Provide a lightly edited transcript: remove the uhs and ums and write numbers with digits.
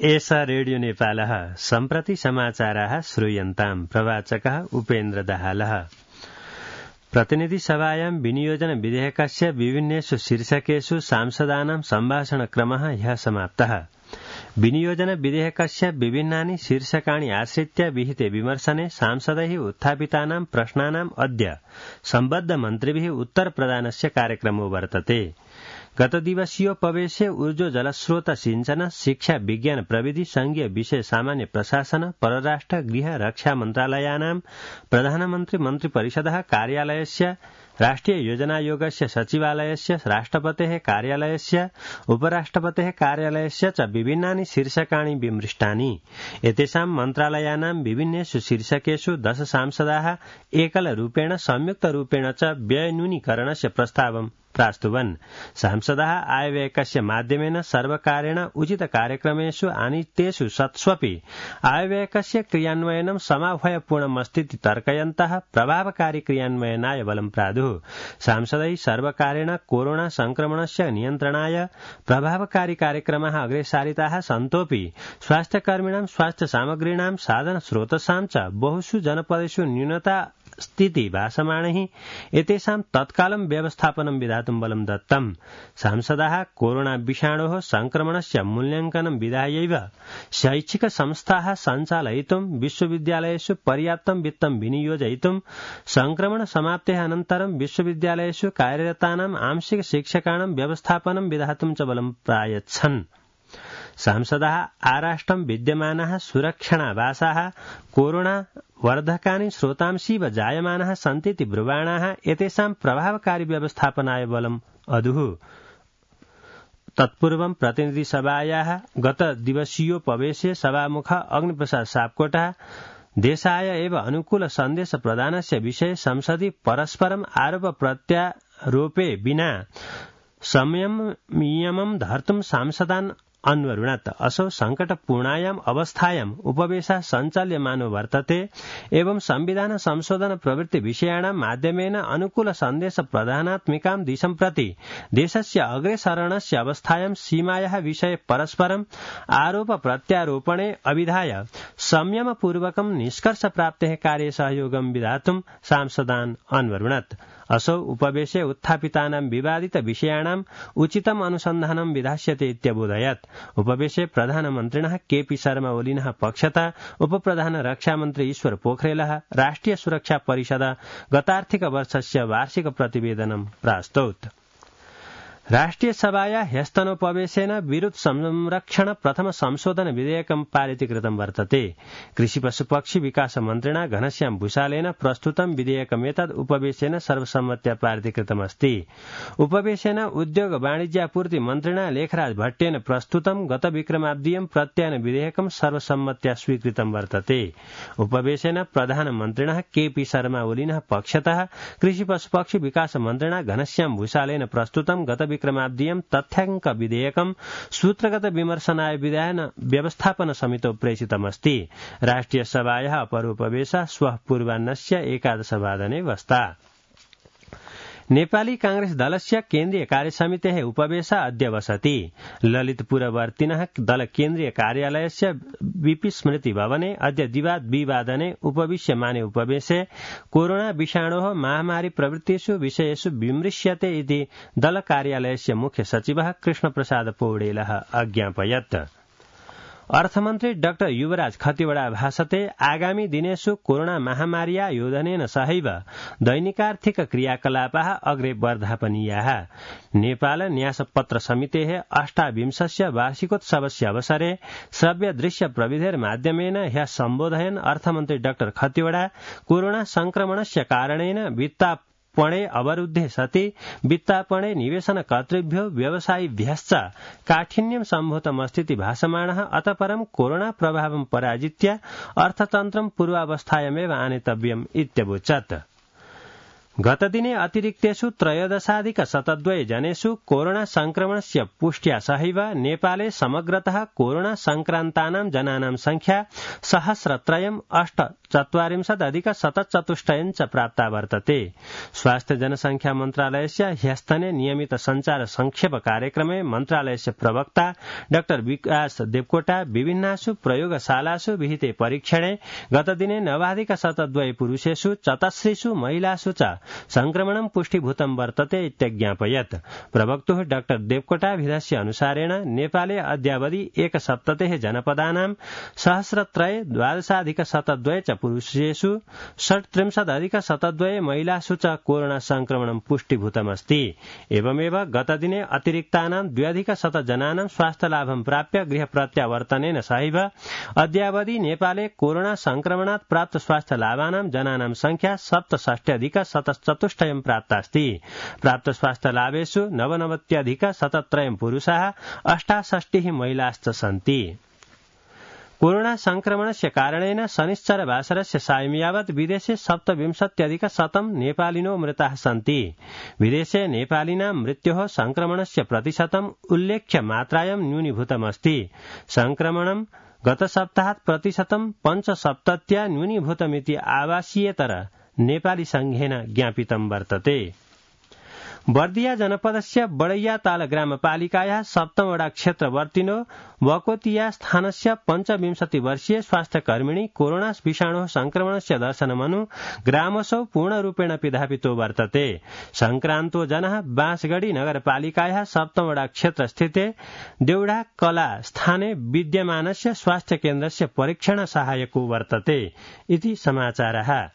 एषा रेडियो नेपालः सम्प्रति समाचाराः श्रूयन्ताम्। प्रवाचकः उपेन्द्र दाहालः। प्रतिनिधि सभायां विनियोजन विधेयकस्य विभिन्नेषु शीर्षकेषु सांसदानां सम्भाषणक्रमः ह्यः समाप्तः। विनियोजन विधेयकस्य विभिन्नानि शीर्षकाणि आश्रित्य विहिते विमर्शने सांसदैः उत्थापितानां प्रश्नानाम् अद्य सम्बद्ध मन्त्रिभिः उत्तरप्रदानस्य कार्यक्रमो वर्तते। गतदिवसीयोपवेशे ऊर्जो जलस्रोत सिंचन शिक्षा विज्ञान प्रविधि संघीय विषय सामान्य प्रशासन परराष्ट्र गृह रक्षा मन्त्रालयानां प्रधानमन्त्री मन्त्रिपरिषदः कार्यालयस्य राष्ट्रिय योजनायोगस्य सचिवालयस्य राष्ट्रपतेः कार्यालयस्य उपराष्ट्रपतेः कार्यालयस्य च विभिन्नानि शीर्षकाणि विमृष्टानि। एतेषां मन्त्रालयानां विभिन्नेषु शीर्षकेषु 10 सांसदाः एकलरूपेण संयुक्तरूपेण च व्ययन्यूनीकरणस्य प्रस्तावं प्रास्तुवन्। सांसदाः आयव्ययकस्य माध्यमेन सर्वकारेण उचित कार्यक्रमेषु आनीतेषु सत्स्वपि आयव्ययकस्य क्रियान्वयनं समाभयपूर्णमस्तीति तर्कयन्तः प्रभावकारी क्रियान्वयनाय बलं प्रादुः। सांसदैः सर्वकारेण कोरोना संक्रमणस्य नियन्त्रणाय प्रभावकारी कार्यक्रमाः अग्रे सारिताः सन्तोऽपि स्वास्थ्यकर्मिणां स्वास्थ्य सामग्रीणां साधन स्रोतसां च बहुषु जनपदेषु न्यूनता स्थिति भासमाणैः एतेषां तत्कालं व्यवस्थापनं विधातुं बलं दत्तम्। सांसदाः कोरोना विषाणोः संक्रमणस्य मूल्यांकनं विधायैव शैक्षिक संस्थाः सञ्चालयितुं विश्वविद्यालयेषु पर्याप्तं वित्तं विनियोजयितुं संक्रमण समाप्तेः अनन्तरं विश्वविद्यालयेषु कार्यरतानां आंशिक शिक्षकाणां व्यवस्थापनं विधातुं च बलं प्रायच्छन्। सांसदाः आराष्ट्रं विद्यमानाः सुरक्षणावासाः कोरोना वर्धकानि स्रोतांशीव जायमानाः सन्तीति ब्रुवाणाः एतेषां प्रभावकारी व्यवस्थापनाय बलम् अदुः। तत्पूर्वं प्रतिनिधिसभायाः गतदिवसीयोपवेशे सभामुखः अग्निप्रसाद सापकोटा देशाय एव अनुकूल सन्देश प्रदानस्य विषये संसदि परस्परम् आरोप प्रत्यारोपे विना संयमं धर्तुं सांसदान् अन्वरुणत्। असौ संकटपूर्णायाम् अवस्थायाम् उपवेशः सञ्चाल्यमानो वर्तते एवं संविधान संशोधन प्रवृत्ति विषयाणां माध्यमेन अनुकूल सन्देश प्रदानात्मिकां दिशं प्रति देशस्य अग्रेसरणस्य अवस्थायां सीमायाः विषये परस्परम् आरोप प्रत्यारोपणे अविधाय संयमपूर्वकं निष्कर्षप्राप्तेः कार्ये सहयोगं विधातुं सांसदान् अन्वरुणत्। असौ उपवेशे उत्थापितानां विवादित विषयाणाम् उचितम् अनुसन्धानं विधास्यते इत्यबोधयत्। उपवेशे प्रधानमन्त्रिणः केपी शर्मा ओलीनः पक्षतः उपप्रधान रक्षामन्त्री ईश्वर पोखरेलः राष्ट्रिय सुरक्षा परिषद गतार्थिक वर्षस्य वार्षिक प्रतिवेदनं प्रास्तौत्। राष्ट्रिय सभाया ह्यस्तनोपवेशेन विरुद्ध संरक्षण प्रथम संशोधन विधेयकं पारितीकृतं वर्तते। कृषि पशुपक्षी विकास मन्त्रिणा घनश्याम भूषालेन प्रस्तुतं विधेयकमेतद् उपवेशेन सर्वसम्मत्या पारितीकृतमस्ति। उपवेशेन उद्योग वाणिज्यापूर्ति मन्त्रिणा लेखराज भट्टेन प्रस्तुतं गत विक्रमाब्दीयं प्रत्ययन विधेयकं सर्वसम्मत्या स्वीकृतं वर्तते। उपवेशेन प्रधानमन्त्रिणः केपी शर्मा ओलीनः पक्षतः कृषि पशुपक्षी विकास मन्त्रिणा घनश्याम भूषालेन प्रस्तुतं गत विक्रमाब्दीयं तथ्याङ्क विधेयकं सूत्रगत विमर्शनाय विधायन व्यवस्थापन समितौ प्रेषितमस्ति। राष्ट्रिय सभायाः अपरोपवेशः श्वः पूर्वाह्नस्य 11 वादने वस्ता। नेपाली कांग्रेस दलस्य केन्द्रीय कार्यसमितेः उपवेशः अद्य वसति। ललितपुरवर्तिनः दल केन्द्रीय कार्यालयस्य वीपी स्मृति भवने अद्य द्विवादने उपविश्यमाने उपवेशे कोरोना विषाणोः महामारी प्रवृत्तिषु विषयेषु विमृश्यते इति दल कार्यालयस्य मुख्य सचिवः कृष्णप्रसाद पौडेलः अज्ञापयत्। अर्थमन्त्री डाक्टर युवराज खतिवड़ा भाषते आगामी दिनेषु कोरोना महामार्या योधनेन सहैव दैनिकार्थिक क्रियाकलापाः अग्रे वर्धापनीयाः। नेपाल न्यासपत्र समितेः 28 वार्षिकोत्सवस्य अवसरे श्रव्य दृश्य प्रविधेर्माध्यमेन ह्यः सम्बोधयन् अर्थमन्त्री डाक्टर खतिवड़ा कोरोना संक्रमणस्य कारणेन वित्तापणे अवरुद्धे सति वित्तापणे निवेशनकर्तृभ्यो व्यवसायिभ्यश्च काठिन्यं सम्भूतमस्तीति भासमाणः। अतः परं कोरोना प्रभावं पराजित्य अर्थतन्त्रं पूर्वावस्थायामेव आनेतव्यम् इत्यवोचत्। गतदिने अतिरिक्तेषु 13,000 जनेषु कोरोना संक्रमणस्य पुष्ट्या सहैव नेपाले समग्रतः कोरोना संक्रान्तानां जनानां संख्या 1,348,774 च प्राप्ता वर्तते। स्वास्थ्य जनसंख्या मन्त्रालयस्य ह्यस्तने नियमित संचार संक्षेप कार्यक्रमे मन्त्रालयस्य प्रवक्ता डाक्टर विकास देवकोटा विभिन्नासु प्रयोगशालासु विहिते परीक्षणे गतदिने 9,000 पुरुषेषु 84 महिलासु च संक्रमणं पुष्टिभूतं वर्तते इत्यज्ञापयत्। प्रवक्तुः डाक्टर देवकोटाभिधस्य अनुसारेण नेपाले अद्यावधि 170 जनपदानां 1,312,102 च पुरुषेषु 1,33,102 महिलासु च कोरोना संक्रमणं पुष्टिभूतमस्ति। एवमेव गतदिने अतिरिक्तानां 2,100 जनानां स्वास्थ्यलाभं प्राप्य गृह प्रत्यावर्तनेन सहैव अद्यावधि नेपाले कोरोना संक्रमणात् प्राप्त स्वास्थ्यलाभानां जनानां संख्या 67,174 प्राप्तास्ति। प्राप्त स्वास्थ्यलाभेषु 99,173 पुरुषाः 68 महिलाश्च सन्ति। कोरोना संक्रमणस्य कारणेन शनिश्चरवासरस्य सायं यावत् विदेशे 27,100 नेपालिनो मृताः सन्ति। विदेशे नेपालिनां मृत्योः संक्रमणस्य प्रतिशतम् उल्लेख्य मात्रायां न्यूनीभूतमस्ति। संक्रमणं गतसप्ताहात् प्रतिशतं 75 न्यूनीभूतमिति आवासीयेतर नेपाली संघेन ज्ञापितं वर्तते। बर्दिया जनपदस्य बडैयाताल ग्रामपालिकायाः सप्तमवडा क्षेत्रवर्तिनो वकोतिया स्थानस्य 25 वर्षीय स्वास्थ्यकर्मिणी कोरोना विषाणोः संक्रमणस्य दर्शनमनु ग्रामसौ पूर्णरूपेण पिधापितो वर्तते। संक्रान्तो जनः बाँसगढी नगरपालिकायाः सप्तमवडा क्षेत्रस्थिते देउडा कला स्थाने विद्यमानस्य स्वास्थ्य केन्द्रस्य परीक्षण सहायको वर्तते इति समाचारः।